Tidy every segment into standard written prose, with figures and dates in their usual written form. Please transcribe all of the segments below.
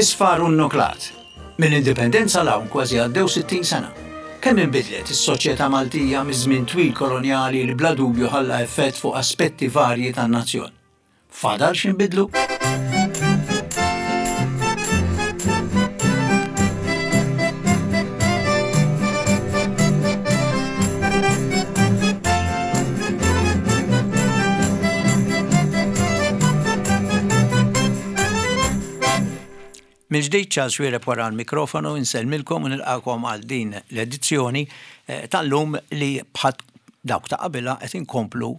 Isfar u nnuklat. Mill-Indipendenza 'l hawn kważi għaddew 60 sena. Kemm inbidlet is-soċjetà Maltija miż-żmien twil kolonjali li bla dubju ħalla effett fuq aspetti varji tan-nazzjon? Fadal x'inbidlu? Mill-ġdid Charles Xuereb wara l-mikrofonu insellmilkom u nilqakom għal din l-edizzjoni eh, tal-lum li bħal dawk ta' qabilha qed inkomplu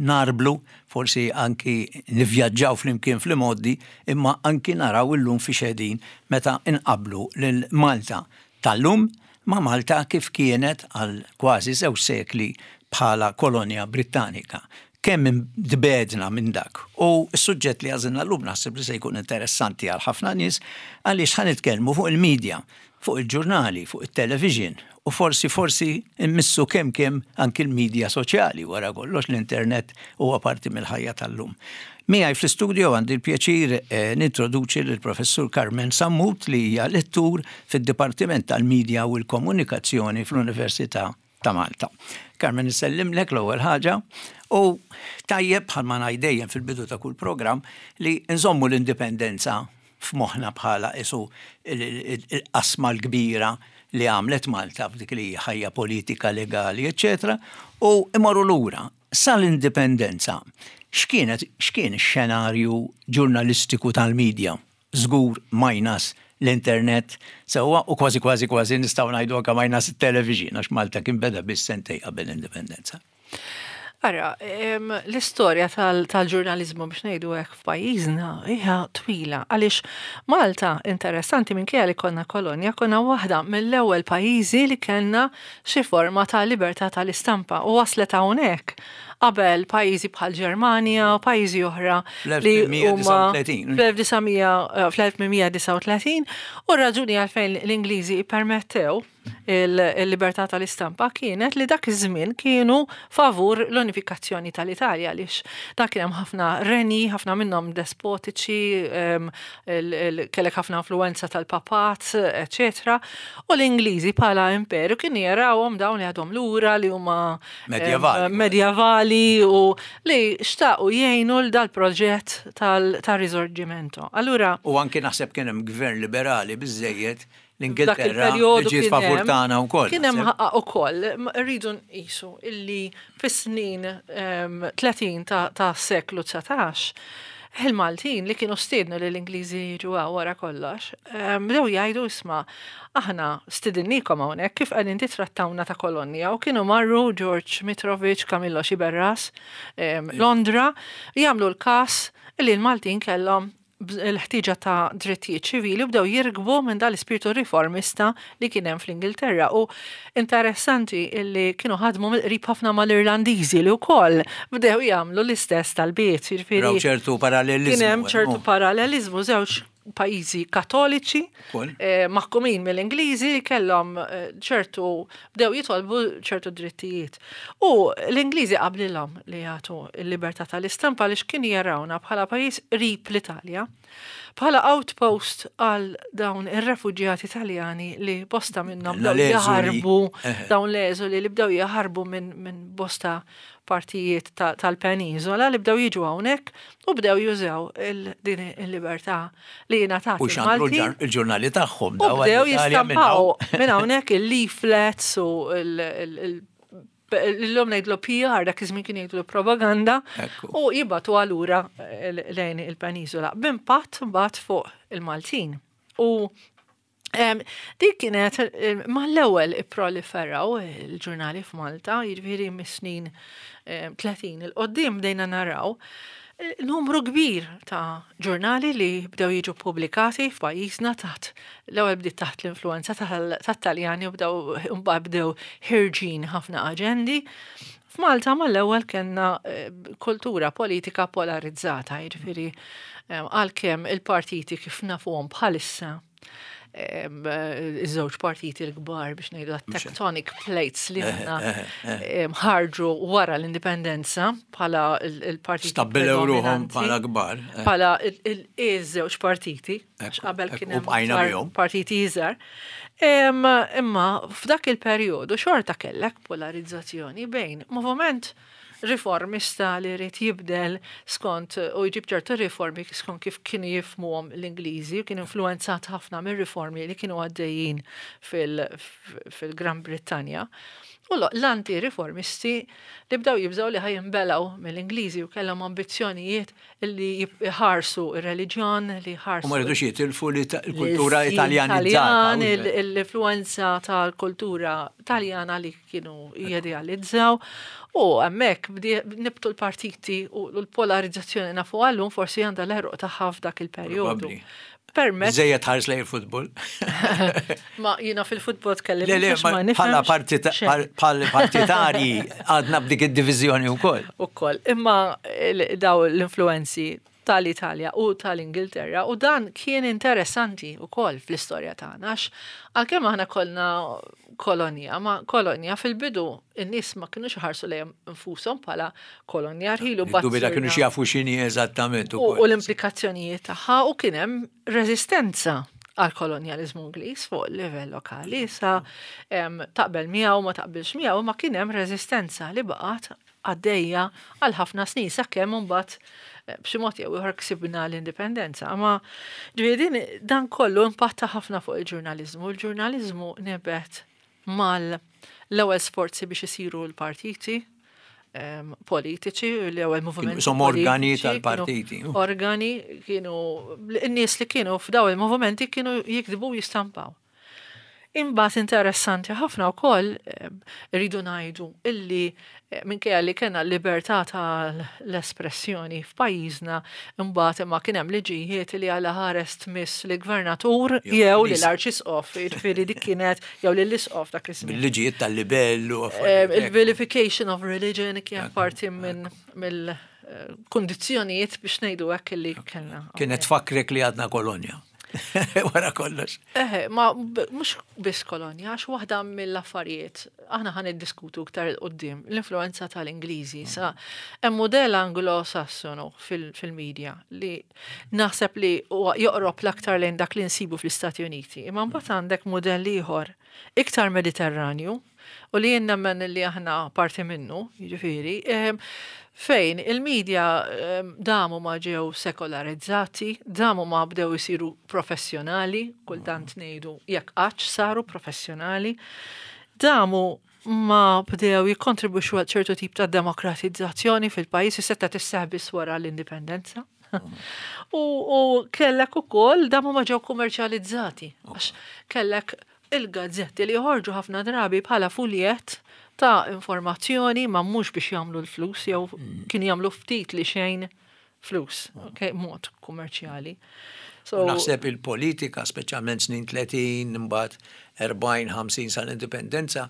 narblu, forsi anki nivvjaġġaw flimkien fl-imgħoddi, imma anki naraw illum fi xedin meta nqablu lil Malta tal-lum ma' Malta kif kienet għal kważi żewġ sekli bħala kolonja Brittanika. Kemm tbegħdna minn dak. U s-suġġett li għażilna llum naħseb li se jkun interessanti għal ħafna nies għaliex ħa nitkellmu fuq il-media, fuq il-ġurnali, fuq it-television u forsi forsi mmissu kemm kemm anki l-media soċjali wara kollox l-internet huwa parti mill-ħajja tal-lum. Miegħi fl-istudio għandi l-pjaċir eh, nintroduċi lill-Professur Carmen Sammut li hija lettur fid-Dipartiment tal-Media u l-Komunikazzjoni fl-Università ta' Malta. Carmen insellimlek l-ewwel ħaġa u tajjeb bħalma ngħid dejjem fil-bidu ta' kull programm li nżommu l-indipendenza f'moħħna bħala isu il-qasma l-kbira li għamlet Malta f'dik li ħajja politika, legali, eċċetera, u imorru lura sal-indipendenza. X'kienet x'kien ix-xenarju ġurnalistiku tal-medja? żgur minus l-internet sewwa u kważi kważi kważi nistgħu ngħidu anke minus it-television għax Malta kien beda biss sentej qabel l-indipendenza. Ara, l-istorja tal-ġurnaliżmu biex ngħidu hekk f'pajjiżna hija twila għaliex Malta interessanti minkejja li konna kolonja konna waħda mill-ewwel pajjiżi li kellna xi forma ta' libertà tal-istampa u waslet hawnhekk qabel pajjiżi bħal Ġermanja u pajjiżi oħra li huma fl-1839 u raġuni għalfejn l-Ingliżi permettew il-libertà tal-istampa kienet li dak iż-żmien kienu favur l-unifikazzjoni tal-Italja għaliex dak kien hemm ħafna renji, ħafna minnhom despotiċi, kellek ħafna influenza tal-papat, eċetera. U l-Ingliżi bħala imperu kienu jarawhom dawn li għadhom lura li huma Medjevali. Medjevali u li xtaqu jgħinu l dal-proġett tal-Risorgimento. Allura. U anki naħseb kien hemm gvern liberali biżejjed l-Ingilterra li ġiet favur tagħna wkoll. Kien hemm ukoll, rridu nqisu illi fis-snin 30 ta' seklu 19 il-Maltin li kienu stiednu li l-Ingliżi jiġu wara kollox, bdew jgħidu isma' Aħna stidinnikom hawnhekk kif qegħdin titrattawna ta' kolonja u kienu marru George Mitrovic, Camillo Sciberras, Londra, jagħmlu l-każ li l-Maltin kellhom l-ħtieġa ta' drittijiet ċivili u bdew jirkbu minn dal-ispirtu riformista li kien hemm fl-Ingilterra u interessanti li kienu ħadmu mill-qrib ħafna mal-Irlandiżi li wkoll bdew jagħmlu l-istess talbiet. Jiġifieri ċertu paralleliżmu. Kien hemm ċertu paralleliżmu żewġ pajjiżi katoliċi eh, maħkumin mill-Ingliżi li kellhom eh, ċertu bdew jitolbu ċertu drittijiet. U l-Ingliżi qablilhom li jagħtu l-libertà tal-istampa li x'kien jarawna bħala pajjiż qrib l-Italja bħala outpost għal dawn ir-refuġjati Taljani li bosta minnhom bdew jaħarbu dawn l-eżuli li bdew jaħarbu minn bosta partijiet tal-peniżola li bdew jiġu hawnhekk u bdew jużaw din il-libertà li jingħatat. U xandru il-ġurnali tagħhom. U bdew jistampaw minn hawnhekk il-leaflets u l-lum ngħidlu PR dak iż-żmien kien jgħidlu propaganda u jibgħatu allura lejn il-peniżola b'impatt mbagħad fuq il-Maltin. U Dik kienet mal-ewwel ipproliferaw il-ġurnali f'Malta, jiġifieri mis-snin 30 il-qoddim bdejna naraw eh, numru kbir ta' ġurnali li bdew jiġu pubblikati f'pajjiżna taħt l-ewwel bdiet taħt l-influenza tat-Taljani u bdew imbagħad bdew ħirġin ħafna aġendi. F'Malta mal-ewwel kellna eh, kultura politika polarizzata, jiġifieri eh, għalkemm il-partiti kif nafuhom bħalissa. Iż-żewġ partiti l-kbar biex ngħidu tectonic plates li aħna ħarġu wara l-indipendenza bħala il-partiti. Stabbilew ruħhom bħala kbar. Bħala iż-żewġ partiti, għax qabel kien hemm partiti iżgħar. Imma f'dak il-perjodu xorta kellek polarizzazzjoni bejn moviment riformista li jrid jibdel skont u jġib ċertu riformi skont kif kienu jifhmuhom l-Ingliżi, kien influenzat ħafna mir-riformi li kienu għaddejjin fil-Gran Brittanja. U l-anti-riformisti li bdew jibżgħu li ħa jinbelgħu mill-Ingliżi u kellhom ambizzjonijiet li jħarsu ir-reliġjon, li jħarsu. U ma rridux jitilfu l-kultura italjanizzata. L-influenza tal-kultura taljana li kienu jidealizzaw. U hemmhekk nibtu l-partiti u l-polarizzazzjoni nafu għallum forsi għandha l-għeruq tagħha f'dak il-perjodu. Permezz. Żejjed ħares lejn il-futbol. Ma jiena fil-futbol tkellim. Le, le, bħala bħala partitarji għadna b'dik id-diviżjoni wkoll. Ukoll. Imma daw l-influenzi tal-Italja u tal-Ingilterra u dan kien interessanti wkoll fl-istorja tagħna għax għalkemm aħna kollna kolonja, ma kolonja fil-bidu in-nies ma kienux ħarsu lejhom infushom bħala kolonja rħilu bat. Kienu jafu x'inhi eżattament U l-implikazzjonijiet tagħha u kien hemm reżistenza għal kolonjalizmu Ingliż fuq livell lokali sa taqbel miegħu ma taqbilx miegħu ma kien hemm reżistenza li baqgħet għaddejja għal ħafna snin sakemm imbagħad b'xi mod jew ieħor ksibna l-indipendenza. Ma ġifieri dan kollu impatta ħafna fuq il-ġurnaliżmu. Il-ġurnaliżmu nibet mal l-ewwel sforzi biex isiru l-partiti politiċi, l-ewwel movimenti. Som organi tal-partiti. Organi kienu, n-nies li kienu f'daw il-movimenti kienu jiktbu jistampaw. Imbagħad interessanti ħafna wkoll rridu ngħidu illi minkejja li kellna libertà tal-espressjoni f'pajjiżna imbagħad imma kien hemm liġijiet li għala ħares tmiss li gvernatur jew li l-arċisqof, jiġifieri dik kienet jew li l-isqof dak iż-żmien. Bil-liġijiet tal-libell u Il-vilification of religion kien parti minn mill-kundizzjonijiet biex ngħidu hekk li kellna. Kienet tfakkrek li għadna kolonja. Wara kollox. Eħe, ma mhux biss kolonja, għax waħda mill-affarijiet, aħna ħa niddiskutu iktar 'il quddiem, l-influenza tal-Ingliżi. Sa hemm modell anglo-sassonu fil-media li naħseb li huwa joqrob l-aktar lejn dak li nsibu fl-Istati Uniti. Imma mbagħad għandek modell ieħor iktar Mediterranju u li jien nemmen li aħna parti minnu, jiġifieri, fejn il-medja damu ma ġew sekolarizzati, damu ma bdew isiru professjonali, kultant ngħidu jekk qattx saru professjonali, damu ma bdew jikkontribwixxu għal ċertu tip ta' demokratizzazzjoni fil-pajjiż, seta' tisseħ biss wara l-indipendenza. U kellek ukoll damu ma ġew kummerċjalizzati, għax kellek il-gazzetti li joħorġu ħafna drabi bħala fuljet ta' informazzjoni ma mhux biex jagħmlu l-flus jew kienu jagħmlu ftit li xejn flus, okay, mod kummerċjali. So, naħseb il-politika, speċjalment snin 30, imbagħad 40, 50 sal-indipendenza,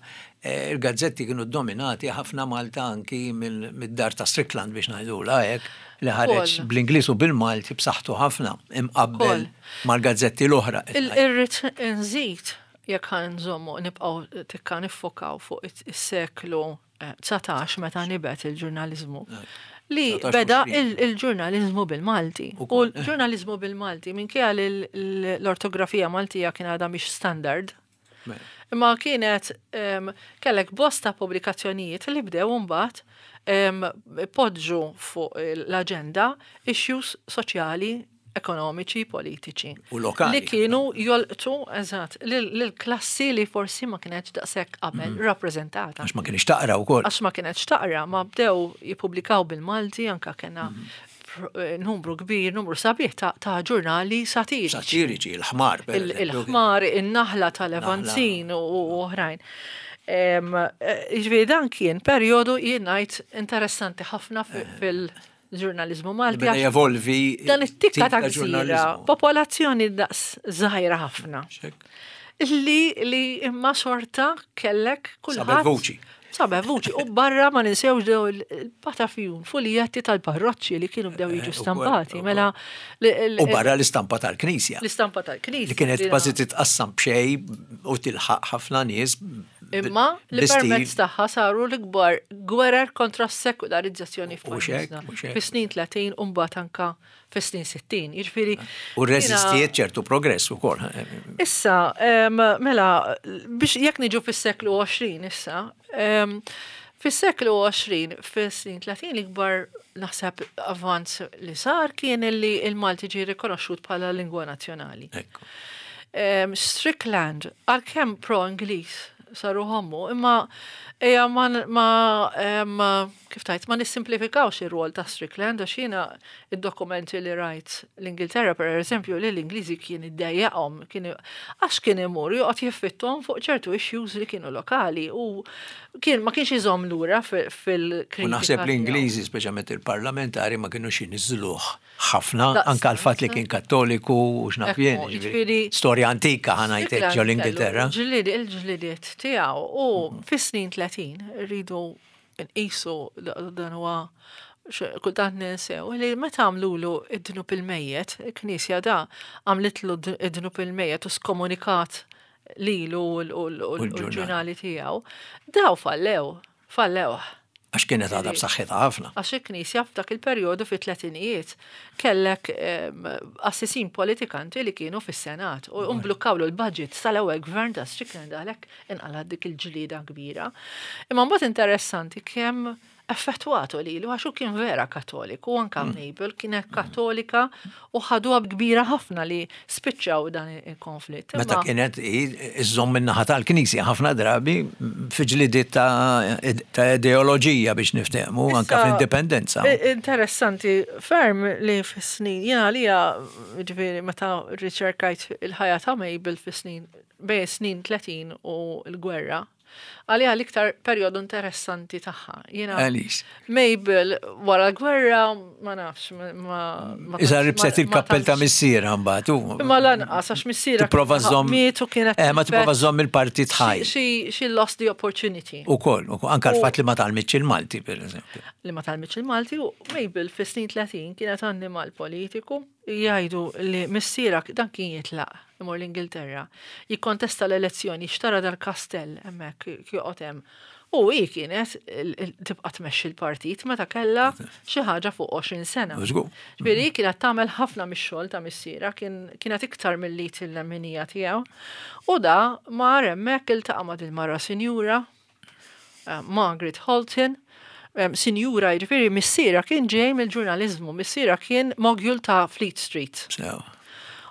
il-gazzetti kienu dominati ħafna Malta anki mid-dar ta' Strickland biex ngħidula hekk, li ħareġ bl-Ingliż u bil-Malti b'saħħtu ħafna imqabbel mal-gazzetti l-oħra. Irrid nżid jekk ħa nżommu nibqgħu tikka niffokaw fuq is-seklu 19 meta nibet il-ġurnaliżmu. Li beda il-ġurnaliżmu bil-Malti. U l-ġurnaliżmu bil-Malti minkejja li l-ortografija Maltija kien għadha mhix standard. Imma kienet kellek bosta pubblikazzjonijiet li bdew imbagħad poġġu fuq l-aġenda issues soċjali, ekonomiċi, politiċi. U lokali. Li kienu jolqtu, eżatt, l-klassi li forsi ma kienx daqshekk qabel rappreżentata. Għax ma kienx taqra wkoll. Għax ma kienx taqra, ma bdew jippubblikaw bil-Malti, anka kena numru kbir, numru sabiħ ta' ġurnali satiriċi. Satiriċi, il-ħmar. Il-ħmar, in-naħla tal-Levanzin u oħrajn. Jiġifieri dan kien perjodu jien ngħid interessanti ħafna fil-ġurnaliżmu Malti. Beda jevolvi. Dan it-tikka ta' gżira, popolazzjoni daqs żgħira ħafna. Li imma xorta kellek kulħadd. Vuċi. Sabeħ vuċi u barra ma ninsewx dew il-patafjun, fuljetti tal-parroċċi li kienu bdew jiġu stampati. Mela U barra l-istampa tal-Knisja. L-istampa tal-Knisja. Li kienet kważi titqassam b'xej u tilħaq ħafna nies. Imma li permezz tagħha saru l-ikbar gwerer kontra s-sekularizzazzjoni f'pajjiżna. Fis-snin 30 u mbagħad anka fis-snin 60. Jiġifieri. U rreżistiet ċertu progress ukoll. Issa, mela, biex jekk niġu fis-seklu 20 issa, fis-seklu 20, fis-snin 30 l-ikbar naħseb avvanz li sar kien li il-Malti ġie rikonoxxut bħala lingwa nazzjonali. Strickland, għalkemm pro-Ingliż saru ħommu, imma eja ma, ma kif tajt, ma nissimplifikawx ir-rwol ta' Strickland għax jiena id-dokumenti li rajt l-Ingilterra per eżempju li l-Ingliżi kien iddejjaqhom kien għax kien imur joqgħod jiffittom fuq ċertu issues li kienu lokali u kien ma kienx iżomm lura fil-kritika. U naħseb l-Ingliżi, speċjalment il-parlamentari, ma kinux jniżżluh ħafna, anka l-fatt li kien kattoliku u x'naf jien. Jiġifieri storja antika ħanajtek ġo l-Ingilterra. Ġlied il-ġlidiet tiegħu u fis-snin 30 rridu nqisu dan huwa kultant ninsew li meta għamlulu id-dnub il-mejjet, il-Knisja da għamlitlu id-dnub il-mejjet u skomunikat lilu u l-ġurnali tiegħu, daw fallew, fallewh. Għax kienet għadha b'saħħitha ħafna. Għax il-Knisja f'dak il-perjodu fit-tletinijiet kellek qassisin politikanti li kienu fis-Senat u mblukkawlu l-budget sal-ewwel gvern ta' Strickland għalhekk inqalgħet dik il-ġlieda kbira. Imma mbagħad interessanti kemm effettwatu lilu għax hu kien vera Kattoliku, anka Mabel kienet Kattolika u ħaduha kbira ħafna li spiċċaw dan il-konflitt. Meta kienet iżżomm min-naħa tal-Knisja ħafna drabi fi ġlidiet ta' ideoloġija biex niftehmu anka fl-indipendenza. Interessanti ferm li fis-snin, jiena għalija ġifieri meta rriċerkajt il-ħajja ta' Mabel fis-snin bejn snin 30 u l-gwerra, Għaliha l-iktar perjodu interessanti tagħha. Jiena Għaliex? Mabel wara l-gwerra ma nafx ma. Iżda ribset il-kappell ta' missierha mbagħad. Imma lanqas għax missierha Tipprova żżomm. miet u kienet. Eh, ma tipprova żżomm il-partit ħaj. She lost the opportunity. Ukoll, anka l-fatt li ma tgħallmitx il-Malti, pereżempju. Li ma tgħallmitx il-Malti u Mabel fis-snin 30 kienet annimal politiku. Jgħidu li missierha dan kien jitlaq imur l-Ingilterra, jikkontesta l-elezzjoni, xtara dal-kastell hemmhekk joqgħod hemm. U hi kienet tibqa' tmexxi l-partit meta kellha xi ħaġa fuq 20 sena. Ġifieri hi kienet tagħmel ħafna mix-xogħol ta' missierha, kienet iktar mill-id il-lemminija tiegħu. U da mar hemmhekk iltaqa' ma' dil-mara sinjura, Margaret Holton, sinjura, jiġifieri missiera kien ġej mill-ġurnaliżmu, missiera kien mogul ta' Fleet Street.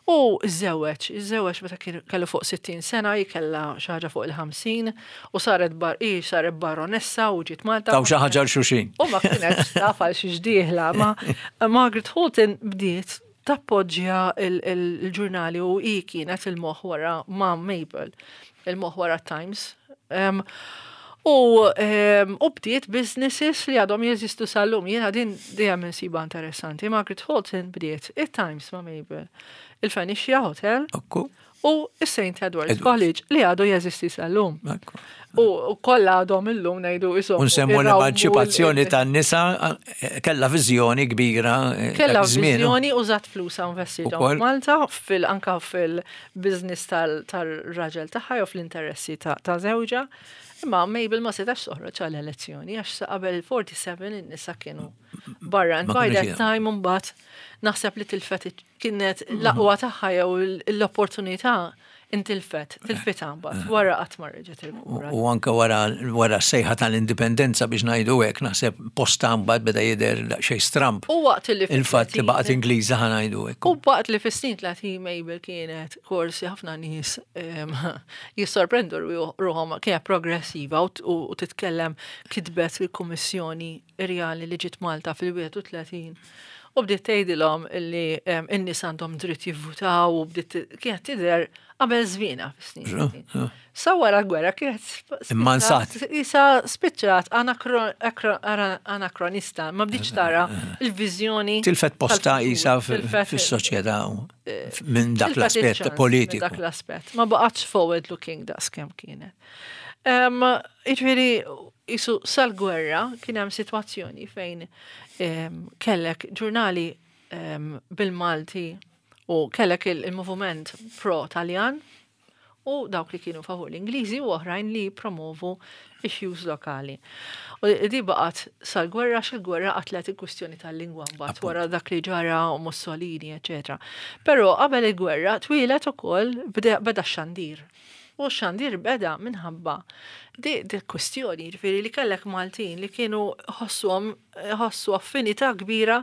U żewweġ, żewweġ meta kien kellu fuq 60 sena, hi kellha xi ħaġa fuq il-50 u saret bar hi saret baronessa u ġiet Malta. Taw xi ħaġa għal xulxin. U ma kienx taf għal xiex dieħla, ma Margaret Holton bdiet tappoġġja il-ġurnali u hi kienet il-moħħ wara ma' Mabel, il-moħħ wara Times. U u bdiet businesses li għadhom jeżistu sal-lum. Jiena din dejjem insiba interessanti. Margaret Holton bdiet it-Times ma' Mabel, il-Phoenicia Hotel u s-St. Edward's College li għadu jeżisti sal-lum. U kollha għadhom illum ngħidu isom. Unsemmu l-emanċipazzjoni tan-nisa kellha viżjoni kbira. Kellha viżjoni użat flusha investithom f'Malta fil anka fil-business tal-raġel tagħha jew fl-interessi ta' żewġha. Imma Mabel ma setax toħroġ għal elezzjoni għax sa qabel il-47 in-nisa kienu barra. And by that time imbagħad naħseb li tilfet kienet l-aqwa tagħha jew l-opportunità intilfet, tilfitha mbagħad wara qatt ma reġgħet irkuprata. U anke wara wara s-sejħa tal-indipendenza biex ngħidu hekk naħseb postha mbagħad beda jidher daqsxejn stramb. U waqt li il-fatt li baqgħet Ingliża ħa ngħidu hekk. U waqt li fis-snin 30 Mabel kienet korsi ħafna nies jissorprendu ruħhom kienet progressiva u titkellem kitbet il-Kummissjoni Rjali li ġiet Malta fil-31 U bdiet tgħidilhom illi n-nies għandhom dritt jivvutaw u bdiet kienet tidher qabel żmienha fis-snin. Sa wara l-gwerra kienet Immansat. Isa spiċċat anakronista, ma bdietx tara il-viżjoni. Tilfet posta isa fis-soċjetà minn dak l-aspett politiku. Dak l-aspett. Ma baqgħetx forward looking daqs kemm kienet. Jiġifieri. Isu sal-gwerra kien hemm sitwazzjoni fejn kellek ġurnali bil-Malti u kellek il-moviment pro-Taljan u dawk li kienu favur l-Ingliżi u oħrajn li promovu issues lokali. U di baqgħet sal-gwerra x'il-gwerra qatlet il-kwistjoni tal-lingwa mbagħad wara dak li ġara u Mussolini, eċetera. Però qabel il-gwerra twieled ukoll beda x-xandir. U x-xandir beda minħabba di kwistjoni, ġifieri li kellek Maltin li kienu ħossuhom ħossu affinità kbira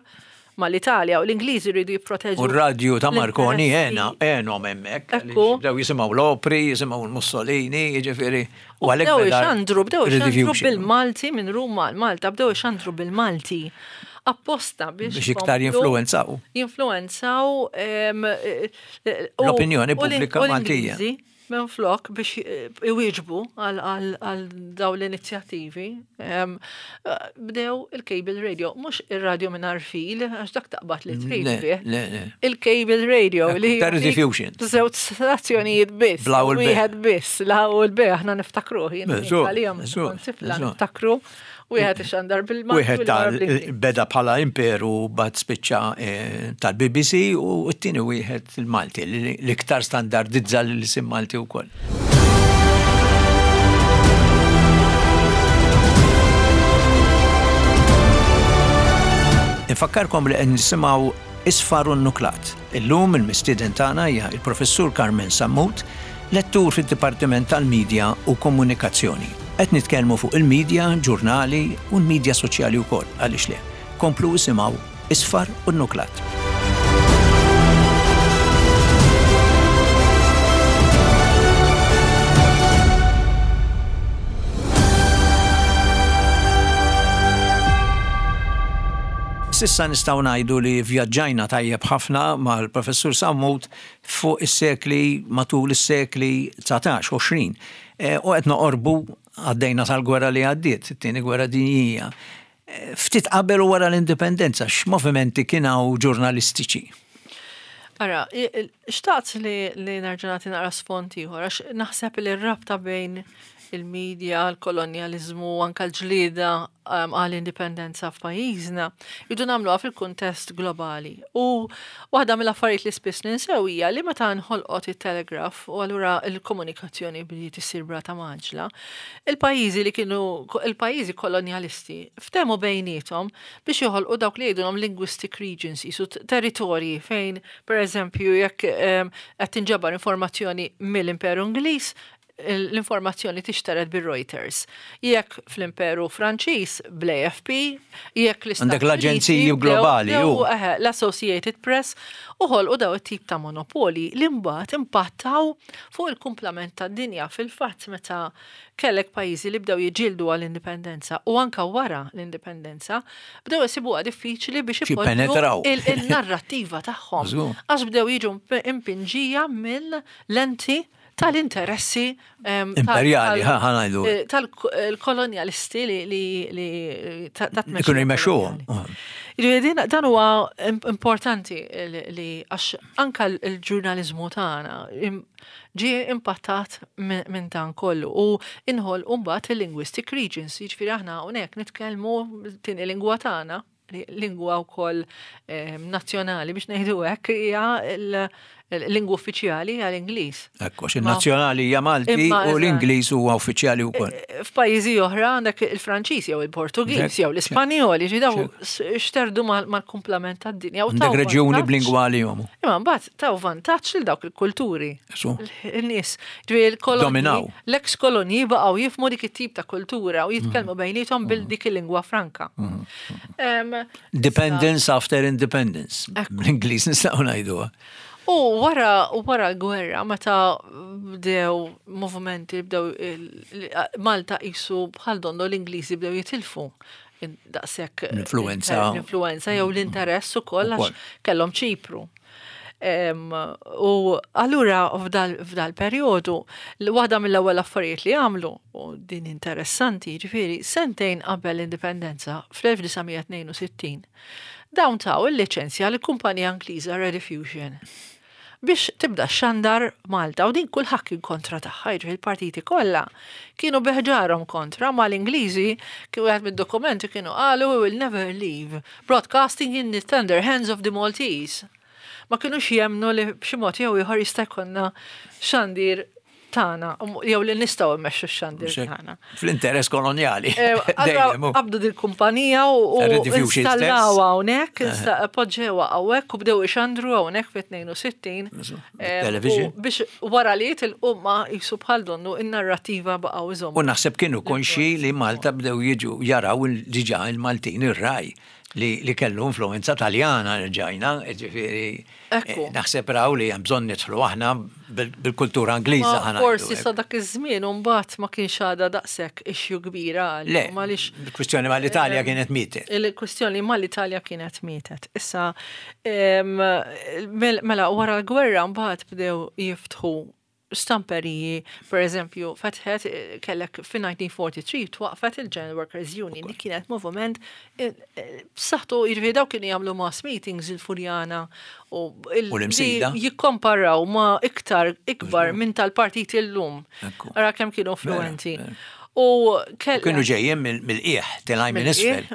mal-Italja u l-Ingliżi rridu jipproteġu. U r-radju ta' Marconi għena, għenhom hemmhekk. Ekku. Bdew jisimgħu l-opri, jisimgħu l-Mussolini, jiġifieri. U għalhekk bdew ixandru, bdew ixandru bil-Malti minn Ruma għal Malta, bdew ixandru bil-Malti. Apposta biex. Biex iktar jinfluwenzaw. Jinfluwenzaw l-opinjoni pubblika Maltija. Minflok biex iwieġbu għal daw l-inizjattivi, bdew il-cable radio, mhux ir-radio mingħajr fil, għax dak taqbad li trid fih. Il-cable radio li. Ta' diffusion. Żewġ stazzjonijiet biss. Bla u l Wieħed biss, la u l-B, aħna niftakruh, jien għalihom tifla niftakru. Wieħed ixandar bil-Malti. Wieħed tal beda bħala imperu bad spiċċa eh, tal-BBC u t-tieni wieħed il-Malti li l-iktar standardizza l-isim Malti wkoll. Infakkarkom li qed nisimgħu Isfar u Nuklat. Illum il-mistieden tagħna hija il-Professur Carmen Sammut, Lettur fid-Dipartiment tal-Media u Komunikazzjoni. Qed nitkellmu fuq il-media, ġurnali u l-media soċjali wkoll, għaliex le. Komplu isimgħu Isfar u Nnuklat. S'issa nistgħu ngħidu li vvjaġġajna tajjeb ħafna mal-Professur Sammut fuq is-sekli, matul is-sekli 19, 20. U qed noqorbu għaddejna sal-gwerra li għaddiet, it-tieni gwerra dinjija. Ftit qabel u wara l-indipendenza, x'movimenti kien hawn ġurnalistiċi? Ara, xtaqt li, li nerġa' nagħti naqra sfond ieħor, għax naħseb li r-rabta bejn il-media, l-kolonjaliżmu, anka l-ġlieda um, għall-indipendenza f'pajjiżna, jridu nagħmluha fil-kuntest globali. U waħda mill-affarijiet li spiss ninsew hija li meta nħolqot it-telegraf u allura l-komunikazzjoni bdiet issir brata maġla, il-pajjiżi li kienu il-pajjiżi kolonjalisti ftehmu bejniethom biex joħolqu dawk li jgħidulhom linguistic regions, jisu territorji fejn, per eżempju, jekk ehm, qed tinġabar informazzjoni mill-Imperu Ingliż, l-informazzjoni tixtered bir-Reuters. Jekk fl-Imperu Franċiż bl-AFP, jekk l Għandek l-aġenziji globali. L-Associated Press u ħolqu daw it-tip ta' monopoli li mbagħad impattaw fuq il-kumplament tad-dinja. Fil-fatt meta kellek pajjiżi li bdew jiġġieldu għall-indipendenza u anka wara l-indipendenza, bdew isibuha diffiċli biex ipoġġu il-narrattiva tagħhom. Għax bdew jiġu impinġija mill-lenti tal-interessi imperjali, ħanajdu. Eh, tal-kolonjalisti li li ikunu jmexxuhom. Dan huwa importanti li għax anka l-ġurnaliżmu tagħna ġie impattat minn dan kollu u inħol mbagħad il-linguistic regions, jiġifieri aħna hawnhekk nitkellmu tieni lingwa tagħna lingwa wkoll ehm, nazzjonali biex ngħidu hekk hija l-lingwa uffiċjali hija l-Ingliż. Ekku, xi nazzjonali hija Malti u l-Ingliż huwa uffiċjali wkoll. E, e, f'pajjiżi oħra għandek il-Franċiż jew il-Portugiż jew l-Ispanjol, jiġi daw xterdu mal-kumplament tad-dinja. Għandek reġjuni b'lingwa għalihom. Imma mbagħad taw vantaġġ lil dawk il-kulturi. Il-nies, ġifieri l-kolonji, l-eks kolonji baqgħu jifhmu dik it-tip ta' kultura u jitkellmu mm. bejniethom bil dik il-lingwa franka. Mm. Dependence after independence. Bl-Ingliż nistgħu ngħiduha. U wara wara l-gwerra meta bdew movimenti bdew Malta qisu bħal donnu l-Ingliżi bdew jitilfu daqshekk l-influenza l-influenza jew l-interess ukoll għax kellhom Ċipru. U allura f'dal-perjodu, waħda mill-ewwel affarijiet li għamlu, u din interessanti, ġifieri, sentejn qabel l-indipendenza fl-1962, dawn taw il-liċenzja lill-kumpanija Ingliża Rediffusion biex tibda xandar Malta u din kulħadd kien kontra tagħha, jiġifieri il-partiti kollha kienu beħġarhom kontra ma l-Ingliżi kien wieħed mid-dokumenti kienu qalu we will never leave broadcasting in the tender hands of the Maltese. Ma kinux jemmnu li b'xi mod jew ieħor jista' jkollna xandir tagħna jew li nistgħu mmexxu x-xandir tagħna. Fl-interess kolonjali. Eh, qabdu dil-kumpanija u installawha hawnhekk, poġġewha hawnhekk u bdew ixandru hawnhekk fit-62. Eh, biex wara li jitilqu ma jisu bħal donnu in-narrativa baqgħu iżommu. U naħseb kienu konxi li Malta bdew jiġu jaraw diġà il-Maltin ir-raj li kellu influenza Taljana rġajna, ġifieri eh, naħseb raw li hemm bżonn nidħlu aħna bil-kultura Ingliża ħana. Forsi sa dak iż-żmien u mbagħad ma kienx għadha daqshekk issue kbira għal. Le, il-kwistjoni mal-Italja eh, kienet mietet. Il-kwistjoni mal-Italja kienet mietet. Issa mela wara l-gwerra mbagħad bdew jiftħu stamperiji, per eżempju, fetħet eh, kellek fin-1943 twaqfet il-General Workers Union li kienet moviment eh, eh, b'saħħtu jiġifieri dawk kienu jagħmlu mass meetings il-Furjana u l-imsida jikkomparaw ma iktar ikbar minn tal-partit illum. Ara kemm kienu influenti. U kienu ġejjin mill-qiegħ, tilgħin minn isfel.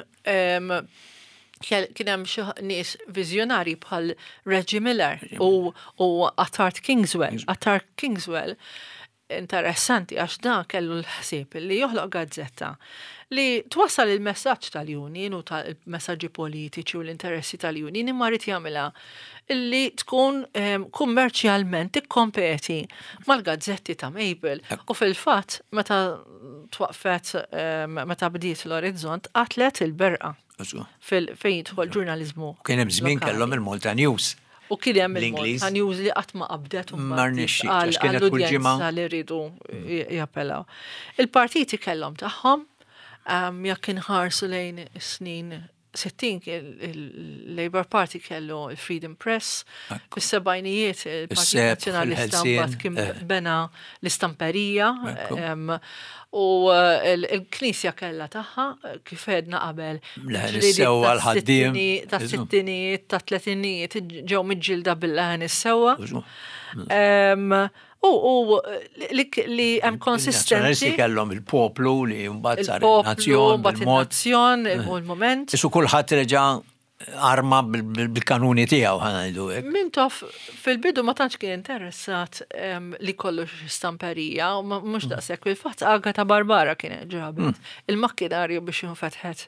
Kien hemm xi nies viżjonari bħal Reggie Miller u, u Attard Kingswell. Attard Kingswell interessanti għax da kellu l-ħsieb li joħloq gazzetta li twassal il-messaġġ tal-union u tal-messaġġi politiċi u l-interessi tal-union imma rrid jagħmilha illi tkun ehm, kummerċjalment tikkompeti mal-gazzetti ta' Mabel. U fil-fatt meta twaqfet ehm, meta bdiet l-Orizzont qatlet il-berqa. Fejn jidħol ġurnaliżmu. Kien hemm żmien kellhom il-Malta News. U kien hemm il-Malta News li qatt ma qabdet u ma rnexxietx kienet kull ġimgħa li rridu jappellaw. Il-partiti kellhom tagħhom jekk inħarsu lejn is-snin 60 il-Labour Party kellu il-Freedom Press, fis-sebgħinijiet il-Partit Nazzjonalista mbagħad kien eh. bena l-istamperija u eh, l-Knisja kellha tagħha eh, kif għedna qabel. Sewwa l-ħaddiem. Ta' sittinijiet, ta' tletinijiet ġew miġġilda bil-leħen is-sewwa. U li hemm konsistenza. Nazzjonalisti kellhom il-poplu li mbagħad sar il-nazzjon. Il-nazzjon, u l-moment. Isu kulħadd reġa' arma bil-kanuni tiegħu ħa ngħidu hekk. Mintoff fil-bidu ma tantx kien interessat li kollu stamperija, u mhux mm. daqshekk fil-fatt Agata Barbara kienet ġabet mm. il-makkinarju biex jinfetħet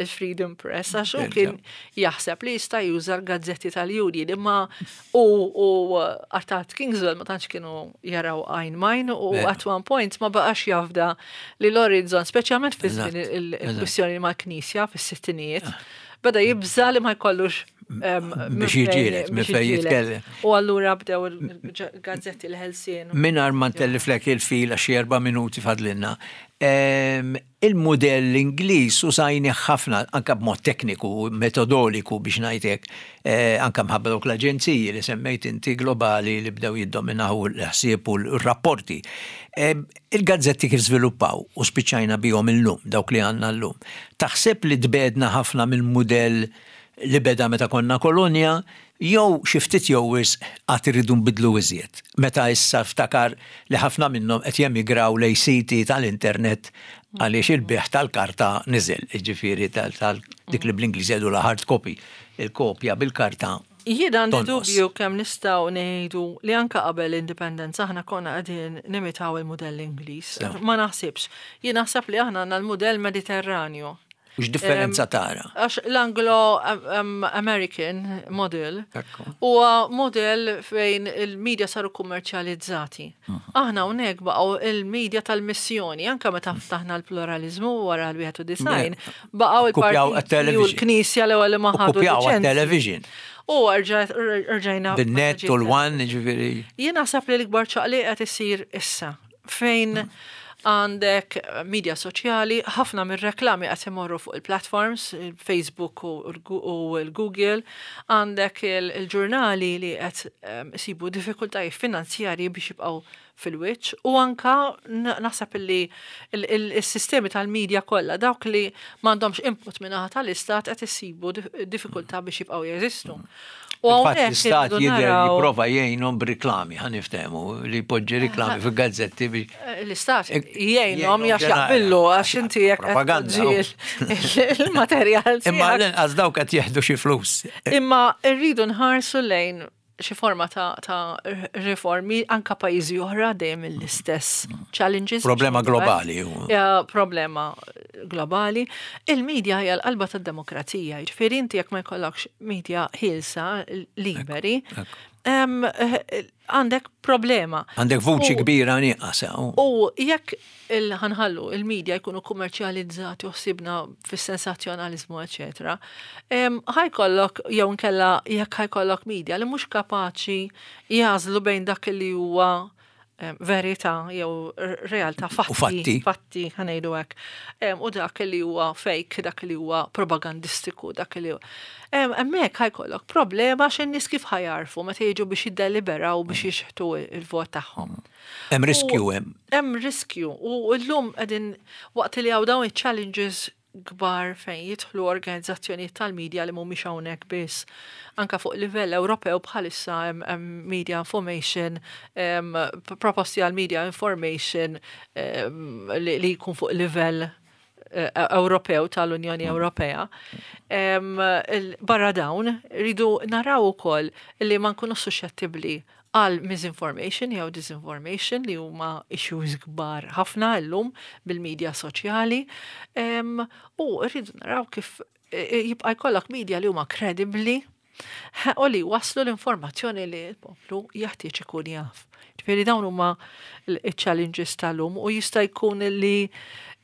il-Freedom Press għax hu kien jaħseb li jista' juża l-gazzetti tal-union imma U u Artat Kingswell ma tantx kienu jaraw għajn majn u at one point ma baqax jafda li l-Horizon, speċjalment fi żmien il-kwistjoni mal-Knisja fis-sittinijiet, beda jibża li ma jkollux biex jiġieled, minn fejn jitkellem. U allura bdew il-gazzetti l-ħelsien. Mingħajr ma ntelliflek il-fil għax erba' minuti fadlilna. Il-mudell Ingliż użajnih ħafna anke b'mod tekniku, metodoliku biex ngħid hekk, anke mħabba dawk l-aġenziji li semmejt inti globali li bdew jiddominaw l-ħsieb u r-rapporti. Il-gazzetti kif żviluppaw u spiċċajna bihom illum, dawk li għandna llum. Taħseb li tbegħdna ħafna mill-mudell li beda meta konna kolonja, jew xi ftit jew wisq għad irridu nbiddlu iżjed, meta issa ftakar li ħafna minnhom qed jemigraw lejn siti tal-internet għaliex il-bejgħ tal-karta niżel, jiġifieri tal dik li bl-Ingliż jgħidulha hard copy, il-kopja bil-karta Jien għandi dubju kemm nistgħu ngħidu li anke qabel l-indipendenza aħna konna qegħdin nimitaw il-mudell Ingliż. Ma naħsibx. Jien naħseb li aħna għandna l-mudell Mediterranju. U x'differenza tara? Għax l-Anglo-American model huwa model fejn il-media saru kummerċjalizzati. Mhm. Aħna hawnhekk baqgħu il-media tal-missjoni, anke meta ftaħna l-pluralizmu wara l-91, baqgħu il-partiti u l-Knisja l-ewwel li ma ħadu television. U rġajna. Bin-net u l-one, ġifieri. Jien naħseb li l-ikbar ċaqliq qed isir issa fejn mm. għandek media soċjali, ħafna mir-reklami qed imorru fuq il-platforms, Facebook u l-Google, għandek il-ġurnali li qed ehm, isibu diffikultajiet finanzjarji biex jibqgħu fil-wiċċ u anka naħseb li il-sistemi tal-medja kollha dawk li m'għandhomx input minn tal-istat qed isibu diffikultà biex jibqgħu jeżistu. U Fil-fatt hawnhekk l-istat irridu jidher naraw jipprova jgħinhom b'riklami, ħa niftehmu, li jpoġġi riklami fil-gazzetti biex L-istat jgħinhom jgħinhom għax ġenera- jaqbillu għax inti jekk qed Propaganda, tpoġġi il-materjal Imma tiegħek. l-inqas dawk qed jieħdu xi flus. Imma rridu nħarsu lejn xi forma ta' riformi anka pajjiżi oħra dejjem l-istess challenges. Problema globali. hu. Ja, problema globali. Il-medja hija l-qalba tad-demokrazija, jiġifieri inti jekk ma jkollokx media ħielsa, liberi, għandek problema. Għandek vuċi kbira nieqas. U jekk ħa nħallu il-media jkunu kummerċjalizzati u ħsibna fis-sensazzjonalizmu, eccetera, ħa jkollok jew nkella jekk ħa jkollok media li mhux kapaċi jagħżlu bejn dak li huwa verità jew realtà, fatti, fatti. fatti ħa ngħidu hekk. U dak li huwa fake, dak li huwa propagandistiku, dak li huwa. Hemmhekk ħa jkollok problema x'in-nies kif ħa jagħrfu meta jiġu biex jiddeliberaw biex jixħtu il-vot tagħhom. Hemm riskju hemm. Hemm riskju u llum qegħdin waqt li hawn dawn iċ-challenges kbar fejn jidħlu organizzazzjonijiet tal-medja li mhumiex hawnhekk biss. Anka fuq livell Ewropew bħalissa hemm media information, proposti għal media information li jkun fuq livell Ewropew tal-Unjoni Ewropea. Barra dawn, rridu naraw ukoll li ma nkunu suscettibbli għal misinformation jew disinformation li huma issues kbar ħafna llum bil-medja soċjali. U rridu naraw kif jibqa' jkollok media li huma kredibbli u li waslu l-informazzjoni li l-poplu jeħtieġ ikun jaf. Ġifieri dawn huma il-challenges tal-lum u jista' jkun li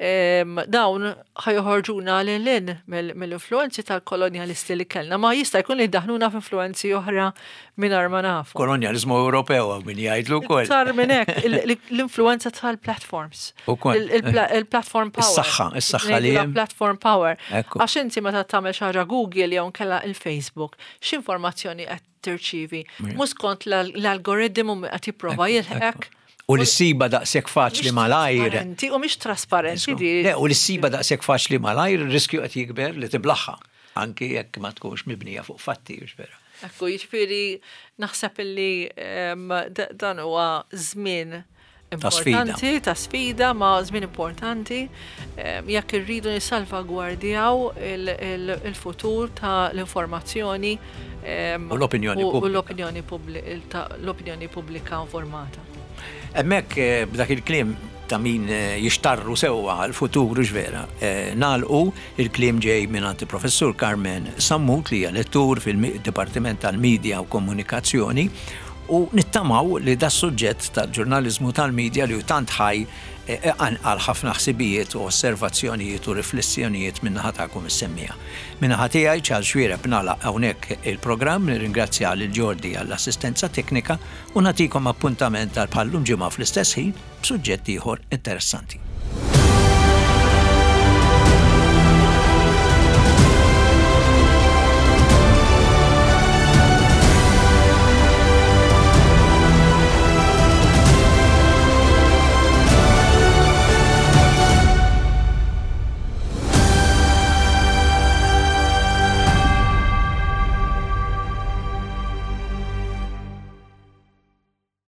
dawn ħa joħorġuna lil hinn mill-influenzi tal-kolonjalisti li kellna, ma jista' jkun li daħluna f'influenzi oħra mingħajr ma nafu. Kolonjalizmu Ewropew hawn min jgħidlu wkoll. Iktar minn hekk, l-influenza tal-platforms. Ukoll. Il-platform power. Is-saħħa, is-saħħa li Ngħidulha hemm. Platform power. Ekku. Għax inti meta tagħmel xi ħaġa Google jew nkella il-Facebook, x'informazzjoni qed tirċivi? Mhux skont l-algoritmu qed jipprova jilħqek. U li ssiba daqshekk faċli Mhix malajr. trasparenti U mhix trasparenti di. Le, u li ssiba daqshekk faċli malajr, il-riskju qed jikber li tiblaħħa. Anki jekk ma tkunx mibnija fuq fatti, hux vera. Ekku, jiġifieri naħseb illi dan huwa żmien Ta' sfida. importanti, ta' sfida, ma żmien importanti jekk irridu nissalvagwardjaw il-futur ta' l-informazzjoni U l-opinjoni u pubblika. l-opinjoni pubblika informata. Hemmhekk b'dak il-kliem ta' min jixtarru sewwa għal-futur hux vera. Nagħlqu il-kliem ġej minn professur Carmen Sammut li hija lettur fil-Dipartiment tal-Media u Komunikazzjoni u nittamaw li da suġġett tal-ġurnalizmu tal-media li hu tant ħaj għal ħafna ħsibijiet u osservazzjonijiet u riflessjonijiet min-naħa tagħkom is-semmiegħa. Min-naħa tiegħi Charles Xuereb nagħlaq hawnhekk il-programm, nirringrazzja lil Jordi għall-assistenza teknika u nagħtikom appuntament għal bħallum ġimgħa fl-istess ħin b'suġġett ieħor interessanti.